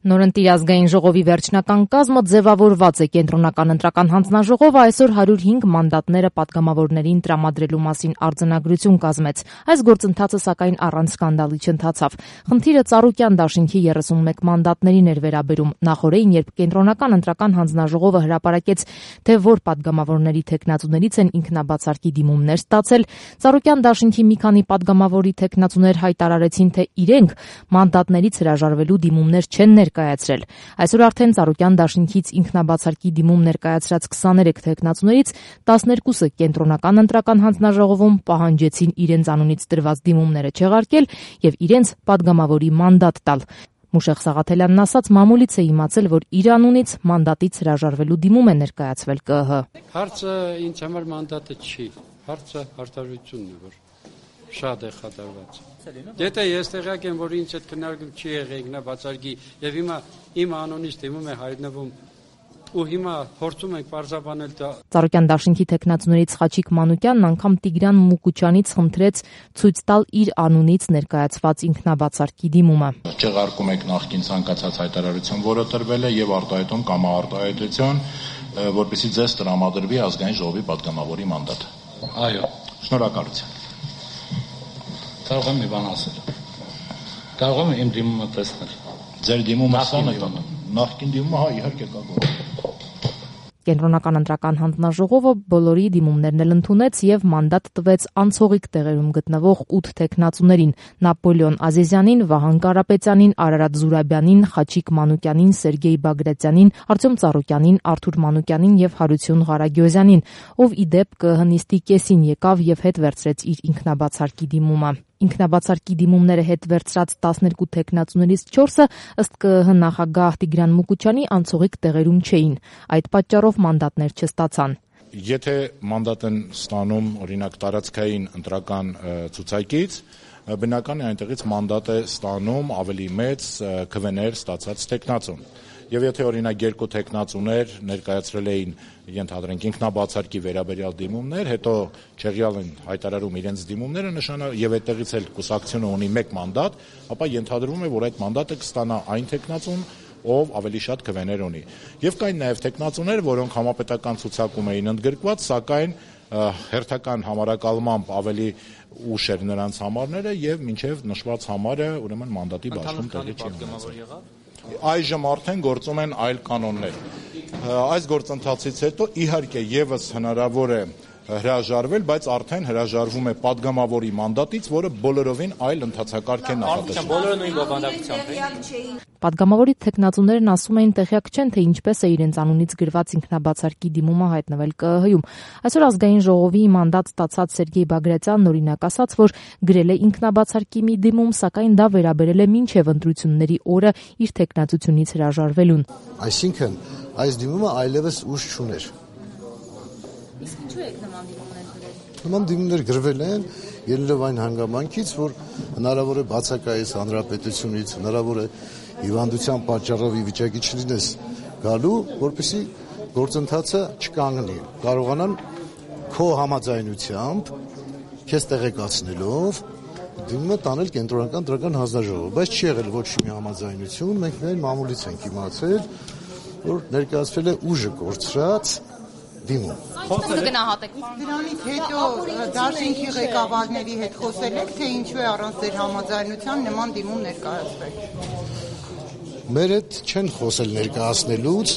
Նորընտիր ազգային ժողովի վերջնական կազմը ձևավորված է։ Կենտրոնական ընտրական հանձնաժողովը այսօր 105 մանդատները պատգամավորներին տրամադրելու մասին արձանագրություն կազմեց։ Այս գործընթացը սակայն առանց սկանդալի չընթացավ։ Խնդիրը Ծառուկյան դաշինքի 31 մանդատներին էր վերաբերում։ Նախօրեին, երբ Կենտրոնական ընտրական հանձնաժողովը հրապարակեց, թե որ պատգամավորների թեկնածուներից են ինքնաբացարկի դիմումներ ստացել, Ծառուկյան դաշինքի մի քանի պատգամավորի թեկնածուներ հայտարարեցին, թե իրենք մանդատներից հրաժարվելու դիմումներ չեն ներկայացրել։ Այսօր արդեն Ծառուկյան դաշինքից ինքնաբացարկի դիմում ներկայացրած 23 թեկնածուներից 12-ը Կենտրոնական ընտրական հանձնաժողովում պահանջեցին իրենց անունից տրված դիմումները չեղարկել եւ իրենց պատգամավորի մանդատ տալ։ Մուշեղ Սաղաթելյանն ասաց, մամուլից է իմացել, որ իր անունից մանդատից հրաժարվելու դիմում է ներկայացվել ԿԸՀ։ Հարցը ինձ համար մանդատը չի, հարցը արտահայտությունն է, որ շատ է խաթարված։ Եթե ես տեղյակ եմ, որ ինձ այդ քննարկում չի եղել ինքնաբացարկի եւ հիմա իմ անունից դիմում է հայտնվում ու հիմա փորձում ենք պարզաբանել դա։ Ծառուկյան դաշինքի թեկնածուներից Խաչիկ Մանուկյանն անգամ Տիգրան Մուկուչյանից խնդրեց ցույց տալ իր անունից ներկայացված ինքնաբացարկի դիմումը։ Չեղարկում եք նախկին ցանկացած հայտարարություն, որը տրվել է եւ արտահայտում կամ արտահայտություն, որպեսզի ձեզ տրամադրվի ազգային ժողովի պատգամավորի մանդատ։ Այո։ Շնորհակալություն։ Կարող եմ մի բան ասել։ Կարող եմ իմ դիմումը տեսնել։ Ձեր դիմումը սան է տանում։ Նախկին դիմումը, հա, իհարկե կա։ Կենտրոնական ընտրական հանձնաժողովը բոլորի դիմումներն էլ ընդունեց եւ մանդատ տվեց անցողիկ տեղերում գտնվող 8 թեկնածուներին՝ Նապոլեոն Ազիզյանին, Վահան Կարապետյանին, Արարատ Զուրաբյանին, Խաչիկ Մանուկյանին, Սերգեյ Բագրատյանին, Արտյոմ Ծառուկյանին, Արթուր Մանուկյանին եւ Հարություն Ղարագյոզյանին, ով ի դեպ ԿԸՀ նիստի կեսին եկավ եւ հետ վերցրեց իր ինքնաբացարկի դիմումը։ Ինքնաբացարկի դիմումները հետ վերցրած 12 թեկնածուներից 4-ը ըստ ԿԸՀ նախագահ Տիգրան Մուկուչյանի անցողիկ տեղերում չէին։ Այդ պատճառով մանդատներ չստացան։ Եթե մանդատ են ստանում օրինակ տարածքային ընտրական ցուցակից, բնական է այնտեղից մանդատ է ստանում ավելի մեծ քվեներ ստացած թեկնածուն։ Եվ եթե օրինակ երկու թեկնածուներ ներկայացրել էին, ենթադրենք, ինքնաբացարկի վերաբերյալ դիմումներ, հետո չեղյալ են հայտարարում իրենց դիմումները, եւ այդտեղից էլ կուսակցությունը ունի 1 մանդատ, ապա ենթադրվում է, որ այդ մանդատը կստանա այն թեկնածուն, ով ավելի շատ քվեներ ունի։ Եվ կային նաև թեկնածուներ, որոնք համապետական ցուցակում էին ընդգրկված, սակայն հերթական համարակալմամբ ավելի ուշ էր նրանց համարները եւ մինչեւ նշված համարը ուրեմն մանդատի բաշխում տեղի չի ունեցել։ Այժմ արդեն գործում են այլ կանոններ։ Այս գործընթացից հետո իհարկե եւս հնարավոր է հրաժարվել, բայց արդեն հրաժարվում է падգամավորի մանդատից, որը բոլորովին այլ ընթացակարգ է նախատեսվում։ Բոլորը նույն բովանդակությամբ են։ Падգամավորի թեկնածուներն ասում էին տեղյակ չեն, թե ինչպես է իրենց անունից գրված ինքնաբացարկի դիմումը հայտնվել ԿԸՀ-ում։ Այսօր ազգային ժողովի մանդատ ստացած Սերգեյ Բագրատյանն օրինակ ասաց, որ գրել է ինքնաբացարկի մի դիմում, սակայն դա վերաբերել է մինչև ընտրությունների օրը իր թեկնածությունից հրաժարվելուն։ Այսինքն այս դիմումը այլևս ուժ չուներ։ Իսկ ինչու եք նման դիմումներ գրել։ Նման դիմումներ գրվել են ելնելով այն հանգամանքից, որ հնարավոր է բացակայես հանրապետությունից, հնարավոր է հիվանդության պատճառով ի վիճակի չլինես գալու, որպեսզի գործընթացը չկանգնի, կարողանան քո համաձայնությամբ, քեզ տեղեկացնելով դիմումը տանել Կենտրոնական ընտրական հանձնաժողով, բայց չի եղել ոչ մի համաձայնություն, մենք միայն մամուլից ենք իմացել, որ ներկայացվել է ուժը կորցրած դիմում։ Ինչպես գնահատեք։ Դրանից հետո դաշինքի ղեկավարների հետ խոսել եք, թե ինչու է առանց ձեր համաձայնության նման դիմում ներկայացվել։ Մեր հետ չեն խոսել ներկայացնելուց,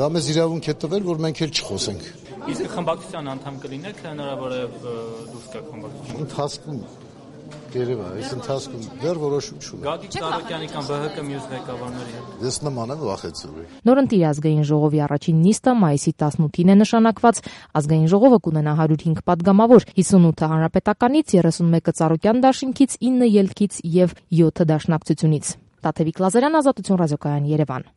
դա մեզ իրավունք է տվել, որ մենք էլ չխոսենք։ Իսկ խմբակցության անդամ կլինեք, թե հնարավոր է դուրս գաք խմբակցությունից։ Ընթացքում երևա, այս ընթացքում դեռ որոշում չունի։ Գագիկ Ծառուկյանի կամ ԲՀԿ մյուս ղեկավարների հետ։ Ես նման եմ վախեցնում։ Նորընտիր ազգային ժողովի առաջին նիստը մայիսի 18-ին է նշանակված։ Ազգային ժողովը կունենա 105 падգամավոր, 58-ը հանրապետականից, 31-ը Ծառուկյան դաշինքից, 9 ելքից եւ 7 դաշնակցությունից։ Տաթևիկ Լազարյան, Ազատություն ռադիոկայան, Երևան։